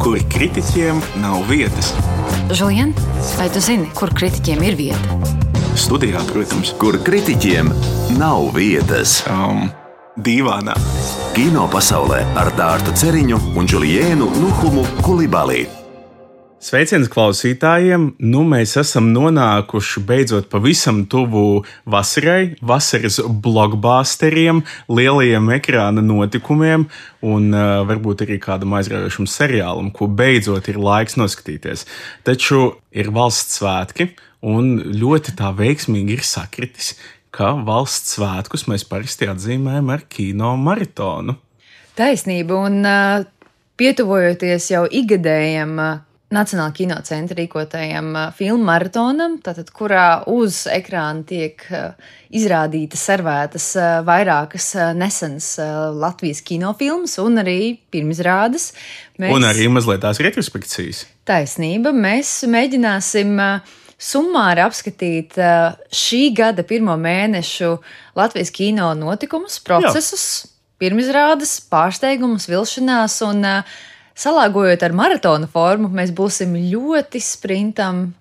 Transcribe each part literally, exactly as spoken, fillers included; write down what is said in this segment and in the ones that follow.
kur kritiķiem nav vietas. Žulien, vai tu zini, kur kritiķiem ir vieta? Studijā, protams. Kur kritiķiem nav vietas. Um, dīvānā. Kino pasaulē ar Dārtu Ceriņu un Džuliēnu Nuhumu Kulibalī. Sveiciens klausītājiem! Nu, mēs esam nonākuši beidzot pavisam tuvu vasarai, vasaras blockbusteriem, lielajiem ekrāna notikumiem un uh, varbūt arī kādam aizraujošam seriālam, ko beidzot ir laiks noskatīties. Taču ir valsts svētki un ļoti tā veiksmīgi ir sakritis, ka valsts svētkus mēs parasti atzīmējam ar kino maratonu. Taisnība, un uh, pietuvojoties jau ikgadējam uh, Nacionālā kino centra rīkotajam uh, filmu maratonam, tātad, kurā uz ekrāna tiek uh, izrādītas, servētas uh, vairākas uh, nesenas uh, Latvijas kinofilmas un arī pirmizrādes. Mēs... Un arī mazliet tās retrospekcijas. Taisnība, mēs mēģināsim uh, summāri apskatīt uh, šī gada pirmo mēnešu Latvijas kino notikumus, procesus, Jā. pirmizrādes, pārsteigumus, vilšanās un uh, salāgojot ar maratona formu, mēs būsim ļoti sprintam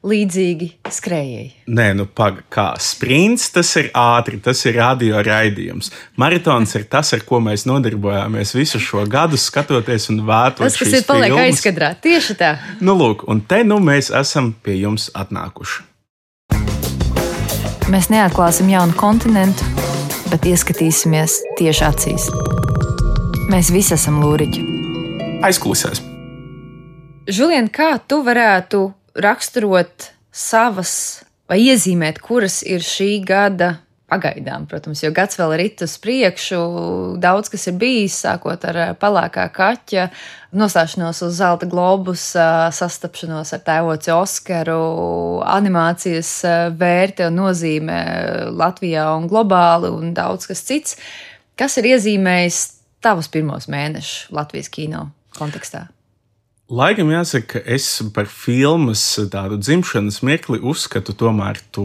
līdzīgi skrējēji. Nē, nu paga, kā sprints, tas ir ātri, tas ir radio raidījums. Maratons ir tas, ar ko mēs nodarbojāmies visu šo gadu, skatoties un vērtot šīs filmas. Tas, kas ir paliek aizkadrā, tieši tā. Nu lūk, un te nu mēs esam pie jums atnākuši. Mēs neatklāsim jaunu kontinentu, bet ieskatīsimies tieši acīs. Mēs visi esam lūriķi. Aizkulisēs. Žulien, kā tu varētu raksturot savas vai iezīmēt, kuras ir šī gada pagaidām, protams, jo gads vēl ir rit uz priekšu, daudz kas ir bijis, sākot ar Pelēkā kaķa, nostāšanos uz Zelta globusa, sastapšanos ar tēvoci Oskaru, animācijas vērte un nozīme Latvijā un globāli un daudz kas cits. Kas ir iezīmējis tavus pirmos mēnešus Latvijas kino kontekstā? Laikam jāsaka, ka es par filmas tādu dzimšanas mirkli uzskatu tomēr to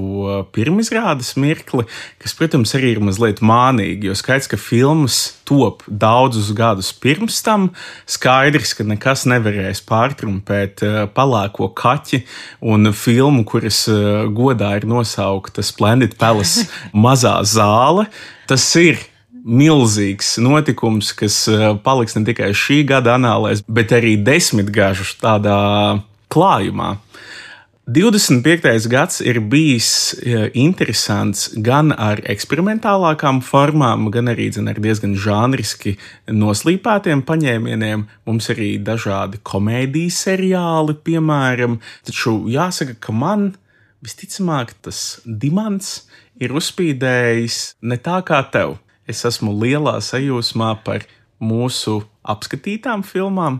pirmizrādes mirkli, kas, protams, arī ir mazliet mānīgi, jo skaidrs, ka filmas top daudzus gadus pirms tam, skaidrs, ka nekas nevarēs pārtrumpēt Pelēko kaķi un filmu, kuras godā ir nosaukta Splendid Palace mazā zāle. Tas ir milzīgs notikums, kas paliks ne tikai šī gada anālēs, bet arī desmitgažu tādā klājumā. divdesmit piektais gads ir bijis interesants gan ar eksperimentālākām formām, gan arī zin, ar diezgan žanriski noslīpētiem paņēmieniem. Mums arī dažādi komēdijas seriāli, piemēram. Taču jāsaka, ka man visticamāk tas dimants ir uzspīdējis ne tā kā tev. Es esmu lielā sajūsmā par mūsu apskatītām filmām,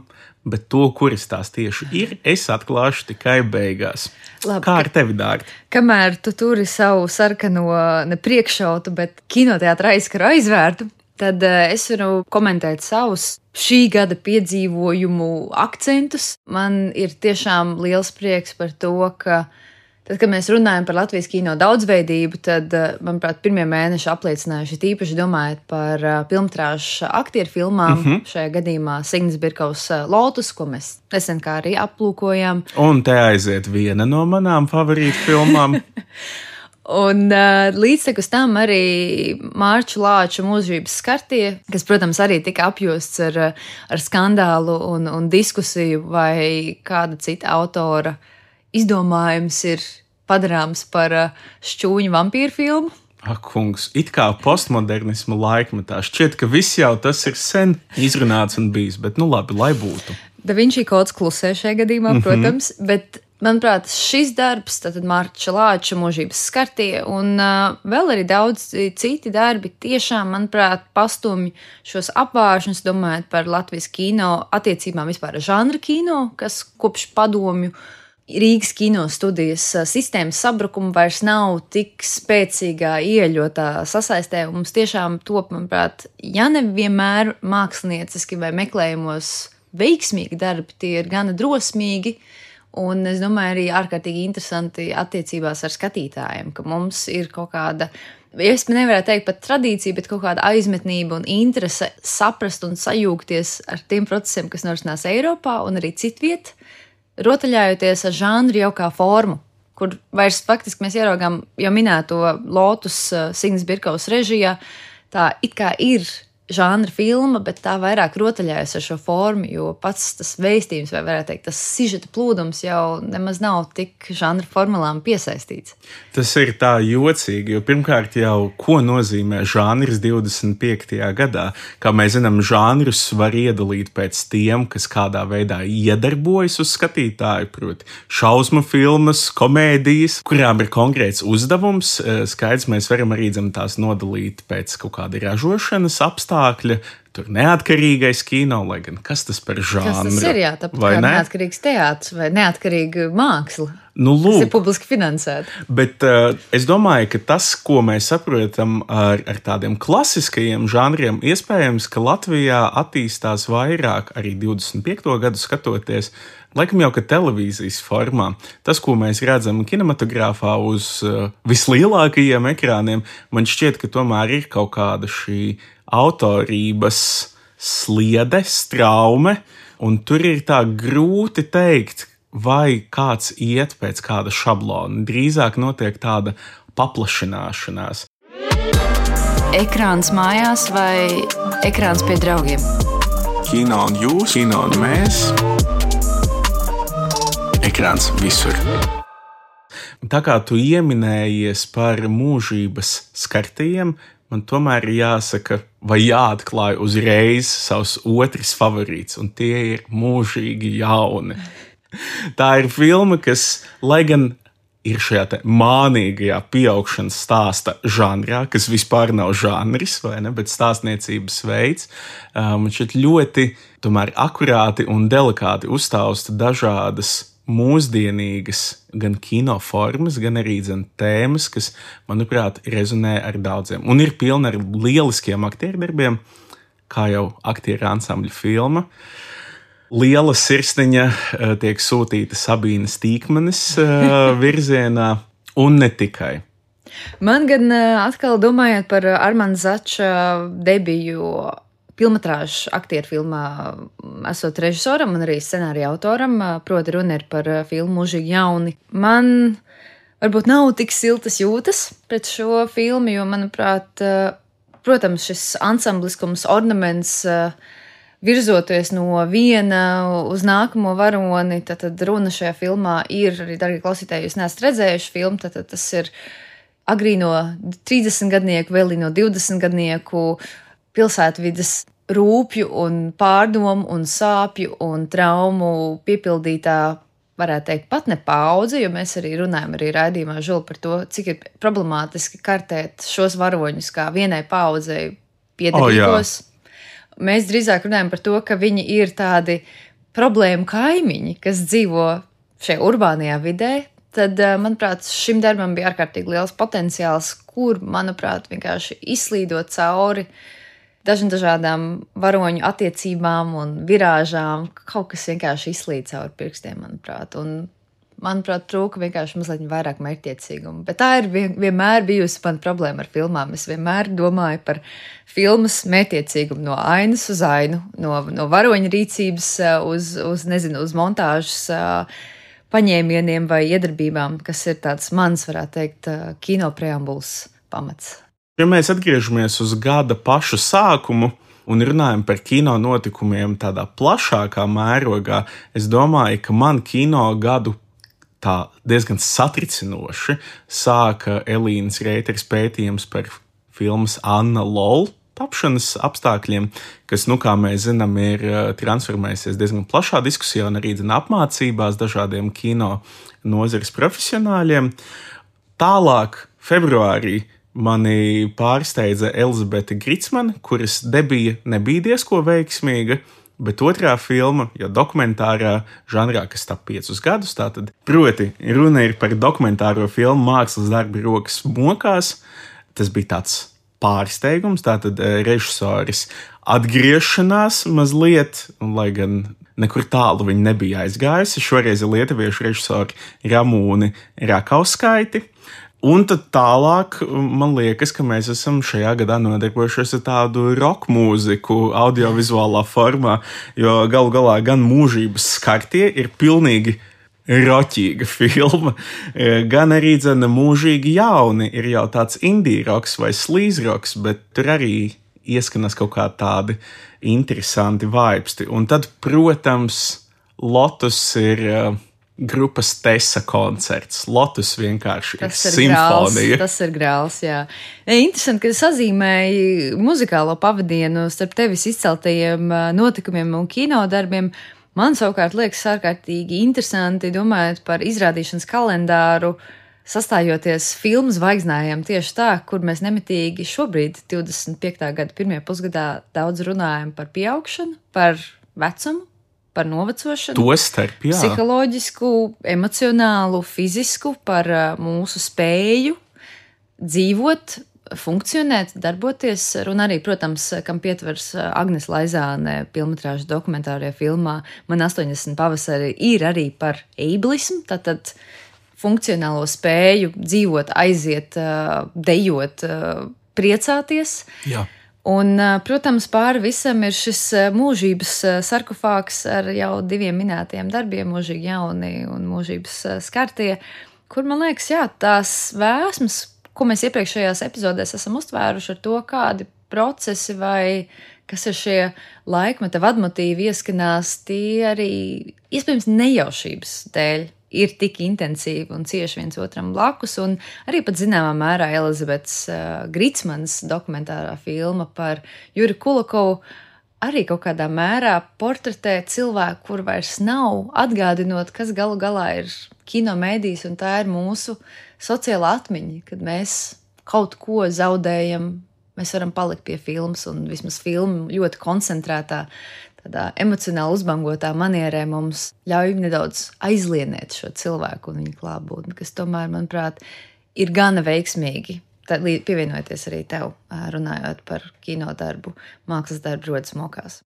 bet to, kuras tās tieši ir, es atklāšu tikai beigās. Labi, kā ar tevi, Dārta? Kamēr tu turi savu sarkano ne priekšautu, bet kinoteātra aizkaru aizvērtu, tad es varu komentēt savus šī gada piedzīvojumu akcentus. Man ir tiešām liels prieks par to, ka tad, kad mēs runājam par Latvijas kino daudzveidību, tad, manuprāt, pirmie mēneši apliecinājuši tīpaši domājot par filmtrāžu aktieru filmām. Mm-hmm. Šajā gadījumā Signis Birkaus Lotus, ko mēs nesen kā arī aplūkojām. Un te aiziet viena no manām favorītu filmām. Un uh, līdztekus tam arī Mārču Lāču Mūžības skartie, kas, protams, arī tika apjosts ar, ar skandālu un, un diskusiju, vai kāda cita autora izdomājums ir padarāms par šķūņu vampīru filmu. Ak, kungs, it kā postmodernismu laikmetā šķiet, ka viss jau tas ir sen izrunāts un bijis, bet nu labi, lai būtu. Da Vinci kods klusē šajā gadījumā, mm-hmm. protams, bet, manuprāt, šis darbs, tātad Mārča Lāča Mūžības skartie un uh, vēl arī daudz citi darbi tiešām, manuprāt, pastumj šos apvāršņus, domājot par Latvijas kino attiecībām vispār žanra kino, kas kopš padomju Rīgas kino studijas sistēmas sabrukuma vairs nav tik spēcīgā ieļotā sasaistē. Mums tiešām top, manuprāt, ja nevienmēr mākslinieciski vai meklējumos veiksmīgi darbi, tie ir gana drosmīgi un, es domāju, arī ārkārtīgi interesanti attiecībās ar skatītājiem, ka mums ir kaut kāda es nevarētu teikt pat tradīcija, bet kaut kāda aizmetnība un interese saprast un sajūgties ar tiem procesiem, kas norisinās Eiropā un arī citviet, rotaļājoties ar žanru jau kā formu, kur vairs faktiski mēs ieraugām jau minēto Lotus Signas Birkaus režijā, tā it kā ir žanra filma, bet tā vairāk rotaļājas ar šo formu, jo pats tas vēstījums, vai varētu teikt, tas sižeta plūdums jau nemaz nav tik žanra formulām piesaistīts. Tas ir tā jocīgi, jo pirmkārt jau, ko nozīmē žanrs divdesmit piektajā gadā? Kā mēs zinām, žanrus var iedalīt pēc tiem, kas kādā veidā iedarbojas uz skatītāju, proti šausmu filmas, komēdijas, kurām ir konkrēts uzdevums. Skaidrs, mēs varam arī dzem tās nodalīt pēc kaut kāda ražošanas apstākļa, tur neatkarīgais kino, lai gan kas tas par žanru? Kas tas ir, jā, tāpat kā ne? Neatkarīgs teātrs vai neatkarīga māksla, nu, lūk, kas ir publiski finansēta. Bet uh, es domāju, ka tas, ko mēs saprotam ar, ar tādiem klasiskajiem žanriem, iespējams, ka Latvijā attīstās vairāk arī divdesmit piekto gadu skatoties, laikam jau, ka televīzijas formā. Tas, ko mēs redzam kinematogrāfā uz uh, vislielākajiem ekrāniem, man šķiet, ka tomēr ir kaut kāda šī autorības sliede, straume, un tur ir tā grūti teikt, vai kāds iet pēc kāda šablona. Drīzāk notiek tāda paplašināšanās. Ekrāns mājās vai ekrāns pie draugiem? Kino un jūs, kino un mēs. Ekrāns visur. Tā kā tu ieminējies par mūžības skartajiem, man tomēr ir jāsaka, vai jāatklāj uzreiz savs otrs favorīts, un tie ir mūžīgi jauni. Tā ir filma, kas, lai gan ir šajā te mānīgajā pieaugšanas stāsta žanrā, kas vispār nav žanris, vai ne, bet stāstniecības veids, man šķiet ļoti tomēr akurāti un delikāti uzstāsta dažādas mūsdienīgas gan kino formas, gan arī dzen tēmas, kas, manuprāt, rezonē ar daudziem. Un ir pilna ar lieliskiem aktierdarbiem, kā jau aktieru ansambļa filma. Liela sirsniņa tiek sūtīta Sabīnes Tīkmanes virzienā, un ne tikai. Man gan atkal domājot par Armanda Zača debiju filmatrāžu aktieru filmā, esot režisoram un arī scenārija autoram, proti runa ir par filmu Mūžīgi jauni. Man varbūt nav tik siltas jūtas pret šo filmu, jo, manuprāt, protams, šis ansambliskums, ornaments, virzoties no viena uz nākamo varoni, tad, tad runa šajā filmā ir, arī, dargie klausītāji, jūs neesat redzējuši filmu, tad, tad tas ir agrīno trīsdesmitgadnieku, vēl no divdesmitgadnieku pilsētvides rūpju un pārdomu un sāpju un traumu piepildītā, varētu teikt, pat ne paudze, jo mēs arī runājam arī raidījumā Žuli par to, cik ir problemātiski kartēt šos varoņus kā vienai paudzei piederīgos. Oh, mēs drīzāk runājam par to, ka viņi ir tādi problēmu kaimiņi, kas dzīvo šajā urbānajā vidē. Tad, manuprāt, šim darbam bija ārkārtīgi liels potenciāls, kur, manuprāt, vienkārši izslīdot cauri dažām dažādām varoņu attiecībām un virāžām, kaut kas vienkārši izslīd cauri pirkstiem, manuprāt. Un, manuprāt, trūka vienkārši mazliet vairāk mērķtiecīgumu. Bet tā ir vienmēr bijusi man problēma ar filmām. Es vienmēr domāju par filmas mērķtiecīgumu no ainas uz ainu, no, no varoņa rīcības uz, uz, nezinu, uz montāžas paņēmieniem vai iedarbībām, kas ir tāds mans, varētu teikt, kino preambulas pamats. Ja mēs atgriežamies uz gada pašu sākumu un runājam par kino notikumiem tādā plašākā mērogā, es domāju, ka man kino gadu tā diezgan satricinoši sāka Elīnas Reiteres pētījums par filmas Anna Lol tapšanas apstākļiem, kas, nu, kā mēs zinām, ir transformējusies diezgan plašā diskusijā un arī zina apmācībās dažādiem kino nozares profesionāļiem. Tālāk, februārī, mani pārsteidza Elizabete Gritsmane, kuras debija nebija diezko veiksmīga, bet otrā filma, jau dokumentārā žanrā, kas tap piecus gadus, tātad, proti, runa ir par dokumentāro filmu Mākslas darbi rokas mokās. Tas bija tāds pārsteigums, tātad režisoris atgriešanās mazliet, un lai gan nekur tālu viņa nebija aizgājusi, šoreiz ir lietuviešu režisori Ramūni Rakauskaiti. Un tad tālāk, man liekas, ka mēs esam šajā gadā nodarbojušies ar tādu rock mūziku audiovizuālā formā, jo galu galā gan Mūžības skartie ir pilnīgi roķīga filma, gan arī dzene Mūžīgi jauni ir jau tāds indie rocks vai sleaze rocks, bet tur arī ieskanas kaut kā tādi interesanti vaibsti. Un tad, protams, Lotus ir grupas Tesa koncerts. Lotus vienkārši tas ir, ir simfonija. Grāls, tas ir grāls, jā. Interesanti, ka sazīmēji muzikālo pavadienu starp tevis izceltajiem notikumiem un kinodarbiem. Man savukārt liekas ārkārtīgi interesanti, domājot par izrādīšanas kalendāru, sastājoties filmu zvaigznājiem tieši tā, kur mēs nemitīgi šobrīd, divdesmit piektā gada pirmajā pusgadā, daudz runājam par pieaugšanu, par vecumu, par novecošanu, to starp, jā. Psiholoģisku, emocionālu, fizisku, par mūsu spēju dzīvot, funkcionēt, darboties. Un arī, protams, kam pietvers Agnes Laizāne filmetrāžu dokumentārajā filmā Man astoņdesmit pavasari ir arī par ableismu, tātad funkcionālo spēju dzīvot, aiziet, dejot, priecāties. Jā. Un, protams, pāri visam ir šis mūžības sarkofāgs ar jau diviem minētajiem darbiem, Mūžīgi jauni un Mūžības skartie, kur, man liekas, jā, tās vēsmas, ko mēs iepriekšējās epizodēs esam uztvēruši ar to, kādi procesi vai kas ir šie laikmeta vadmotīvi ieskanās, tie arī, iespējams, nejaušības dēļ ir tik intensīvi un cieši viens otram blakus, un arī pat zināmā mērā Elizabetes uh, Gritsmanas dokumentārā filma par Juri Kulakovu arī kaut kādā mērā portretē cilvēku, kur vairs nav, atgādinot, kas galu galā ir kino mēdījis, un tā ir mūsu sociāla atmiņa, kad mēs kaut ko zaudējam, mēs varam palikt pie filmas, un vismaz filma ļoti koncentrētā, tādā emocionāli uzbangotā manierē mums ļauj nedaudz aizlienēt šo cilvēku un viņa klātbūtni, kas tomēr, manuprāt, ir gana veiksmīgi. Tad pievienojoties arī tev, runājot par kinodarbu, mākslas darbu rodas mokās.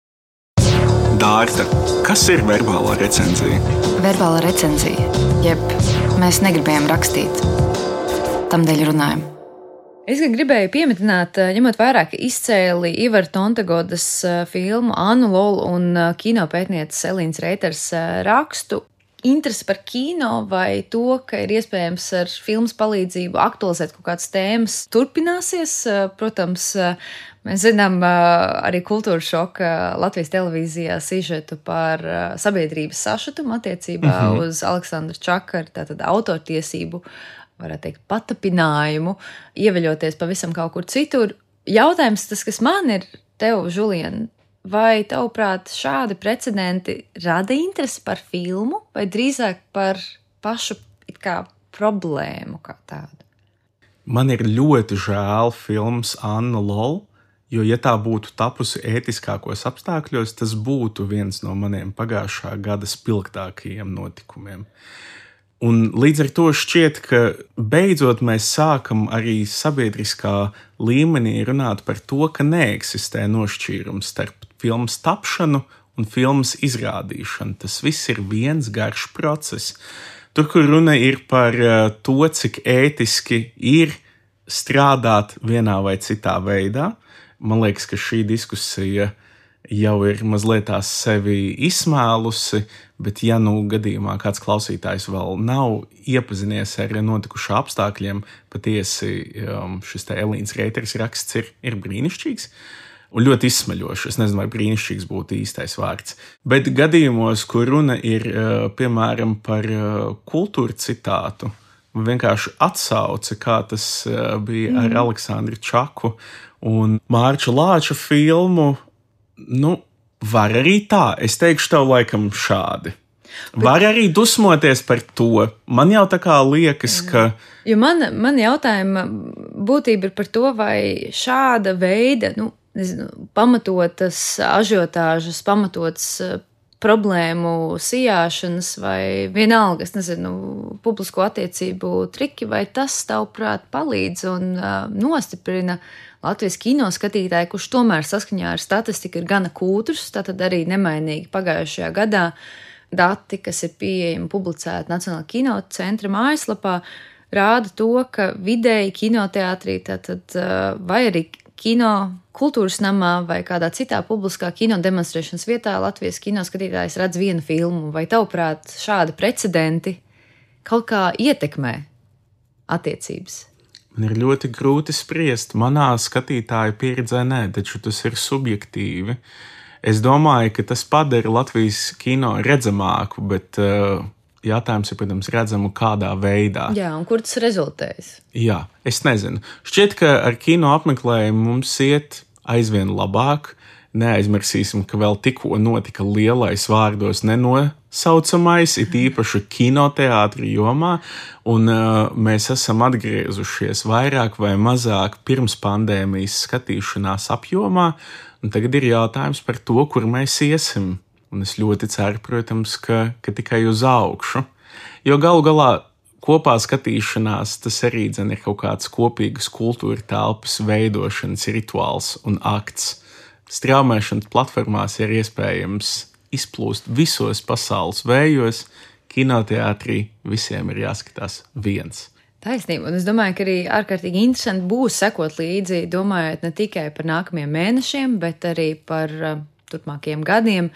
Dārta, kas ir verbālā recenzija? Verbālā recenzija, jeb mēs negribējām rakstīt, tamdēļ runājam. Es gan gribēju pieminēt, ņemot vērā, ka izcēli Ivara Tontegodas filmu Annu Lolu un kinopētnieces Elīnas Reiters rakstu, interesi par kino vai to, ka ir iespējams ar filmas palīdzību aktualizēt kaut kādas tēmas, turpināsies. Protams, mēs zinām arī Kultūra šoka Latvijas televīzijā sižetu par sabiedrības sašutumu attiecībā mm-hmm. uz Aleksandra Čakara, tātad autortiesību, varētu teikt, patapinājumu, ieveļoties pavisam kaut kur citur. Jautājums tas, kas man ir tev, Žulien, vai tavuprāt šādi precedenti rada interesi par filmu, vai drīzāk par pašu it kā problēmu kā tādu? Man ir ļoti žēl filmas Anna Lol, jo, ja tā būtu tapusi ētiskākos apstākļos, tas būtu viens no maniem pagājušā gada spilgtākajiem notikumiem. Un līdz ar to šķiet, ka beidzot mēs sākam arī sabiedriskā līmenī runāt par to, ka neeksistē nošķīrums starp filmas tapšanu un filmas izrādīšanu. Tas viss ir viens garš process. Tur, kur runa ir par to, cik ētiski ir strādāt vienā vai citā veidā, man liekas, ka šī diskusija jau ir mazliet tās sevi izsmēlusi, bet ja nu gadījumā kāds klausītājs vēl nav iepazinies ar notikušā apstākļiem, patiesi šis te Elīnas Reiters raksts ir, ir brīnišķīgs un ļoti izsmeļošs. Es nezinu, vai brīnišķīgs būtu īstais vārds. Bet gadījumos, kur runa ir, piemēram, par kultūra citātu, vienkārši atsauce, kā tas bija ar mm. Aleksandru Čaku un Mārča Lāča filmu, nu, var arī tā. Es teikšu tev laikam šādi. Var arī dusmoties par to. Man jau tā kā liekas, ka... Jo man, man jautājuma būtība ir par to, vai šāda veida, nu, nezinu, pamatotas ažiotāžas, pamatotas problēmu sijāšanas vai vienalga, es nezinu, publisko attiecību triki, vai tas, tavuprāt, palīdz un uh, nostiprina Latvijas kino skatītāju, kurš tomēr saskaņā ar statistiku ir gana kūtrs, tātad arī nemainīgi pagājušajā gadā dati, kas ir pieejami publicēti Nacionālā kino centra mājaslapā, rāda to, ka vidēji kinoteātrī tātad, vai arī kino kultūras namā vai kādā citā publiskā kino demonstrēšanas vietā Latvijas kino skatītājs redz vienu filmu. Vai tavuprāt šādi precedenti kaut kā ietekmē attiecības? Man ir ļoti grūti spriest. Manā skatītāja pieredzē nē, taču tas ir subjektīvi. Es domāju, ka tas padara Latvijas kino redzamāku, bet uh, jautājums ir, protams, redzamu kādā veidā. Jā, un kur tas rezultējas? Jā, es nezinu. Šķiet, ka ar kino apmeklējumu mums iet aizvien labāk. Neaizmirsīsim, ka vēl tikko notika lielais vārdos nenosaucamais, it īpaši kinoteātri jomā, un uh, mēs esam atgriezušies vairāk vai mazāk pirms pandēmijas skatīšanās apjomā, un tagad ir jautājums par to, kur mēs iesim. Un es ļoti ceru, protams, ka, ka tikai uz augšu, jo galu galā kopā skatīšanās tas arī dzen ir kaut kāds kopīgas kultūra telpas veidošanas rituāls un akts. Straumēšanas platformās ir iespējams izplūst visos pasaules vējos, kinoteātrī visiem ir jāskatās viens. Taisnība, un es domāju, ka arī ārkārtīgi interesanti būs sekot līdzi, domājot ne tikai par nākamajiem mēnešiem, bet arī par uh, turpmākajiem gadiem,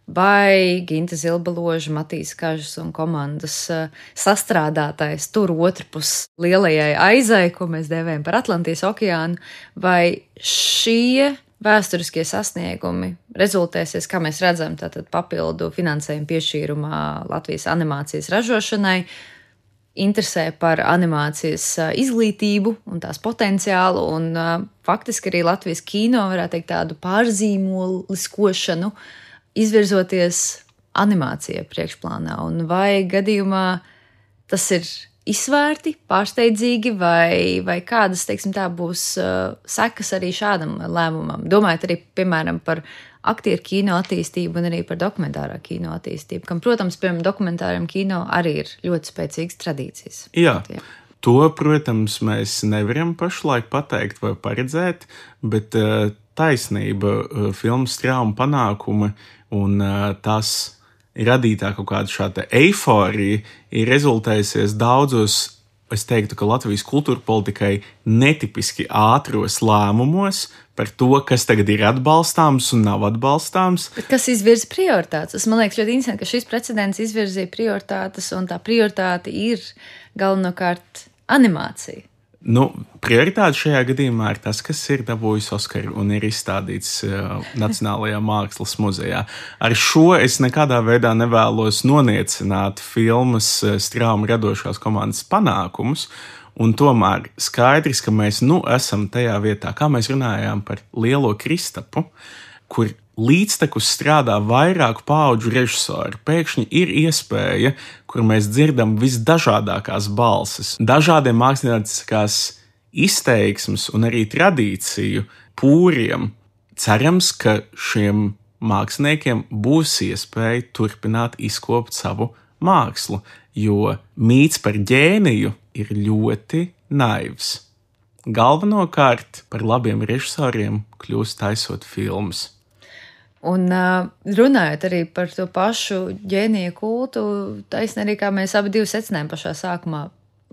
vai Ginta Zilbaloža, Matīs Kažas un komandas uh, sastrādātais tur otrpus lielajai aizai, ko mēs dēvējam par Atlantijas okeānu, vai šie vēsturiskie sasniegumi rezultēsies, kā mēs redzam, tātad papildu finansējumu piešķīrumā Latvijas animācijas ražošanai, interesē par animācijas izglītību un tās potenciālu, un faktiski arī Latvijas kino, varētu teikt, tādu pārzīmoliskošanu, izvirzoties animācijai priekšplānā. Un vai gadījumā tas ir izsvērti, pārsteidzīgi, vai, vai kādas, teiksim tā, būs uh, sekas arī šādam lēmumam? Domājot arī, piemēram, par aktieru kino attīstību un arī par dokumentārā kino attīstību, kam, protams, piemēram, dokumentāram kino arī ir ļoti spēcīgas tradīcijas. Jā, to, protams, mēs nevaram pašlaik pateikt vai paredzēt, bet uh, taisnība, uh, filmas trauma panākumi un uh, tas radītā kaut kāda šāda eiforija ir rezultējusies daudzos, es teiktu, ka Latvijas kultūra politikai netipiski ātros lēmumos par to, kas tagad ir atbalstāms un nav atbalstāms. Bet kas izvirza prioritātes? Tas, man liekas, ļoti interesanti, ka šis precedents izvirzīja prioritātes, un tā prioritāte ir galvenokārt animācija. Nu, prioritāte šajā gadījumā ir tas, kas ir dabūjis Oskaru un ir izstādīts uh, Nacionālajā mākslas muzejā. Ar šo es nekādā veidā nevēlos noniecināt filmas uh, Strauma radošās komandas panākumus, un tomēr skaidrs, ka mēs nu esam tajā vietā, kā mēs runājām par Lielo Kristapu, kur līdztekus strādā vairāku paudžu režisori. Pēkšņi ir iespēja, kur mēs dzirdam visdažādākās balsis, dažādiem mākslinieckās izteiksmes un arī tradīciju pūriem. Cerams, ka šiem māksliniekiem būs iespēja turpināt izkopt savu mākslu, jo mīts par ģēniju ir ļoti naivs. Galvenokārt par labiem režisoriem kļūst taisot filmas. Un uh, runājot arī par to pašu ģēnija kultu, taisnē arī, kā mēs abi divi secinājām pašā sākumā,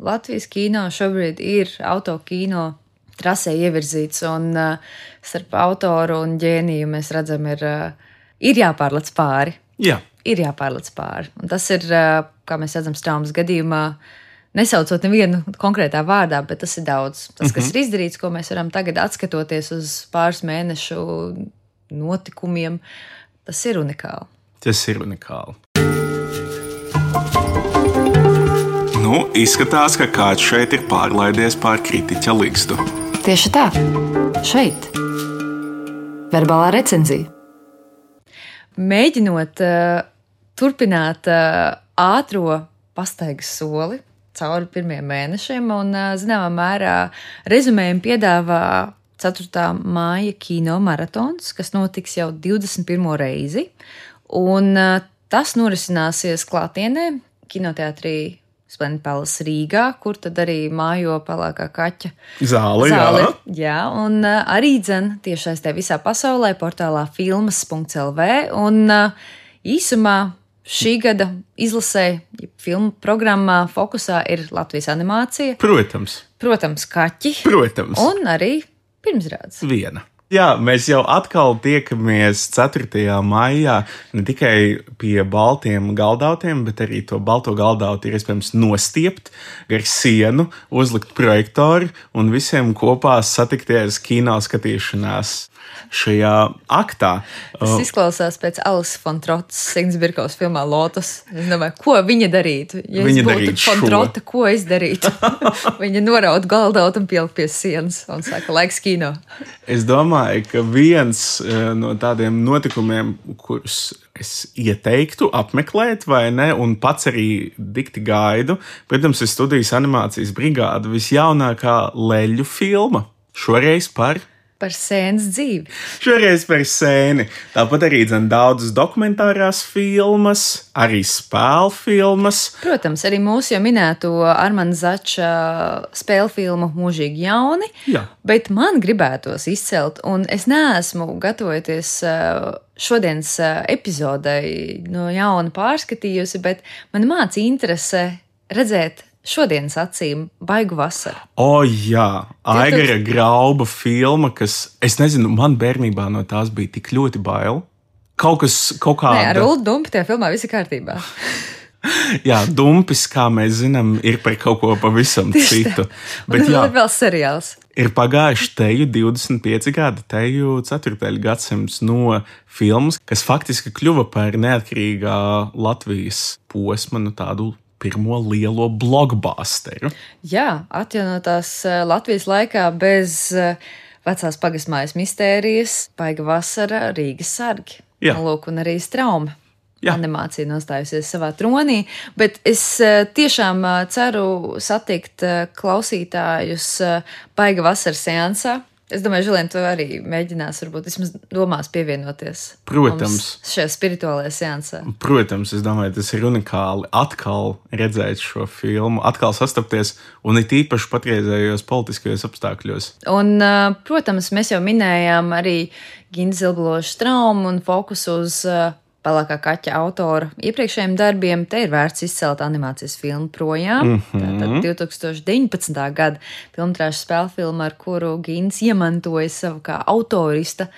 Latvijas kino šobrīd ir autokino trasē ievirzīts, un uh, starp autoru un ģēniju mēs redzam, ir, uh, ir jāpārlec pāri. Jā. Ir jāpārlec pāri. Un tas ir, uh, kā mēs redzam, Straumas gadījumā, nesaucot nevienu konkrētā vārdā, bet tas ir daudz. Tas, kas mm-hmm. ir izdarīts, ko mēs varam tagad atskatoties uz pāris mēnešu notikumiem, tas ir unikāli. Tas ir unikāli. Nu, izskatās, ka kāds šeit ir pārlaidies pār kritiķa ligzdu. Tieši tā. Šeit. Verbālā recenzija. Mēģinot uh, turpināt uh, ātro pastaigas soli cauri pirmiem mēnešiem un, uh, zināmā mērā, rezumējumu piedāvā ceturtā māja kino maratons, kas notiks jau divdesmit pirmo reizi, un uh, tas norisināsies klātienē kinoteātrī Splendid Palace Rīgā, kur tad arī mājo pelēkā kaķa zāle. zāle Jā, jā un uh, arī dzen tiešais te visā pasaulē portālā filmas punkts el vē, un uh, īsumā šī gada izlasē, ja filmu programmā fokusā ir Latvijas animācija. Protams. Protams, kaķi. Protams. Un arī pirmizrādes. Viena. Jā, mēs jau atkal tiekamies ceturtajā maijā ne tikai pie baltiem galdautiem, bet arī to balto galdautu ir iespējams nostiept gar sienu, uzlikt projektoru un visiem kopā satikties kino skatīšanās šajā aktā. Tas izklausās pēc Alises von Trotas Signsbirkovas filmā Lotus. Es domāju, ko viņa darītu? Ja viņa es būtu von Trota, ko es darītu? Viņa noraut galdautu un pielikt pie sienas un saka, laiks kino. Es domāju, ka viens no tādiem notikumiem, kurus es ieteiktu apmeklēt, vai ne, un pats arī dikti gaidu, protams, ir Studijas animācijas brigāda visjaunākā leļu filma. Šoreiz par Par sēnes dzīvi. Šoreiz par sēni. Tāpat arī dzen daudzas dokumentārās filmas, arī spēļu filmas. Protams, arī mūsu jau minēto Armanda Zača spēļu filmu Mūžīgi jauni. Jā. Bet man gribētos izcelt, un es neesmu gatavojoties šodienas epizodei no jauna pārskatījusi, bet man māca interese redzēt šodienas acīm Baigu vasaru. O, jā, Aigara Grauba filma, kas, es nezinu, man bērnībā no tās bija tik ļoti bail. Kaut kas, kaut kāda... Nē, ar Uldu Dumpi tajā filmā viss ir kārtībā. Jā, Dumpis, kā mēs zinām, ir par kaut ko pavisam citu. Bet jā, ir vēl seriāls. Ir pagājuši teju divdesmit pieci gadi, teju ceturtajā gadsimts no filmas, kas faktiski kļuva par neatkarīgā Latvijas posma, nu tādu pirmo lielo blockbusteru. Jā, atjaunotās Latvijas laikā bez vecās pagastmājas mistērijas, Baiga vasara, Rīgas sargi. Jā. Lūk, un arī Strauma. Jā. Animācija nostājusies savā tronī, bet es tiešām ceru satikt klausītājus Baiga vasaras seansā. Es domāju, Žilien, tu arī mēģinās, varbūt vismaz domās pievienoties. Protams. Šajā spirituālajā seansā. Protams, es domāju, tas ir unikāli atkal redzēt šo filmu, atkal sastapties, un it īpaši patreizējos politiskajos apstākļos. Un, protams, mēs jau minējām arī Ginta Zilbloža Straumu un fokusu uz Pelēkā kaķa autora iepriekšējiem darbiem. Te ir vērts izcelt animācijas filmu Projām. Mm-hmm. Tātad divi tūkstoši deviņpadsmitā gada filmtrāžu spēļu filma, ar kuru Gints iemantoja savu kā autorista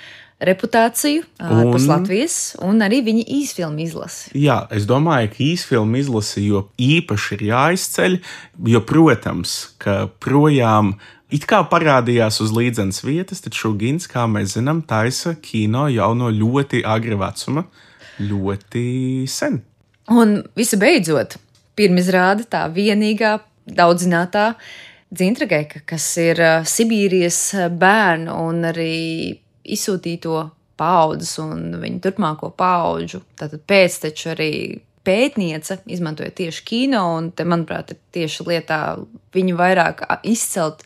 reputāciju ārpus Latvijas, un arī viņa īsfilmu izlasi. Jā, es domāju, ka īsfilmu izlasi jo īpaši ir jāizceļ, jo, protams, ka Projām it kā parādījās uz līdzenas vietas, taču Gints, kā mēs zinām, taisa kino jau no ļoti agra vecuma. Ļoti sen. Un visu beidzot, pirmizrāde tā vienīgā daudzinātā Dzintrageka, kas ir Sibīrijas bērnu un arī izsūtīto paaudzes un viņu turpmāko paudžu, tātad pēcteču arī pētniece, izmantoja tieši kino, un te, manuprāt, ir tieši lietā viņu vairāk izcelt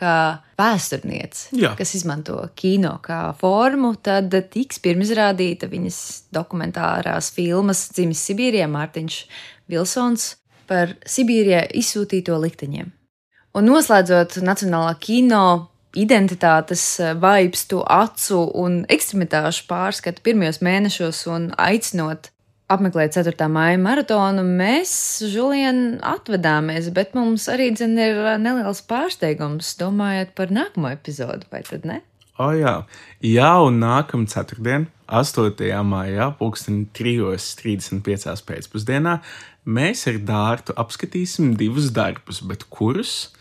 kā vēsturniece, Jā. Kas izmanto kino kā formu, tad tiks pirmizrādīta viņas dokumentārās filmas Dzimis Sibīrijā Mārtiņš Vilsons par Sibīrijā izsūtīto likteņiem. Un noslēdzot Nacionālā kino identitātes vibes, to acu un ekstremitāšu pārskatu pirmajos mēnešos un aicinot apmeklēt ceturtā maija maratonu, mēs, Žulien, atvedāmies, bet mums arī dzen ir neliels pārsteigums, domājot par nākamo epizodu, vai tad ne? O jā, jā, un nākam ceturtdien, astotajā maijā, pulksten trijos trīsdesmit piecās pēcpusdienā, mēs ar Dārtu apskatīsim divus darbus, bet kurus?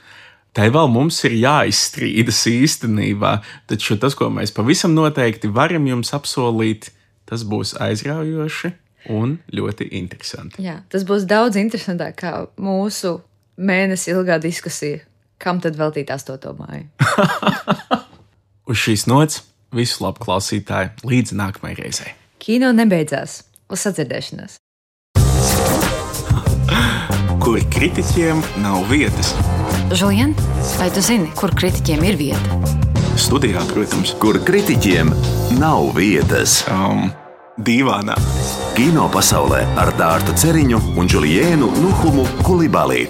Te vēl mums ir jāizstrīdas īstenībā, taču tas, ko mēs pavisam noteikti varam jums apsolīt, tas būs aizraujoši un ļoti interesanti. Jā, tas būs daudz interesantāk kā mūsu mēnesi ilgā diskusija. Kam tad veltīt astoto māju? Uz šīs nots visu labu klausītāju līdz nākamajai reizei. Kino nebeidzās. Uz sadzirdēšanās. Kur kritiķiem nav vietas. Žulien, vai tu zini, kur kritiķiem ir vieta? Studijā, protams. Kur kritiķiem nav vietas. Um, dīvānā. Kino pasaulē ar Dārtu Ceriņu un Žuliēnu Nuhumu Kulibalī.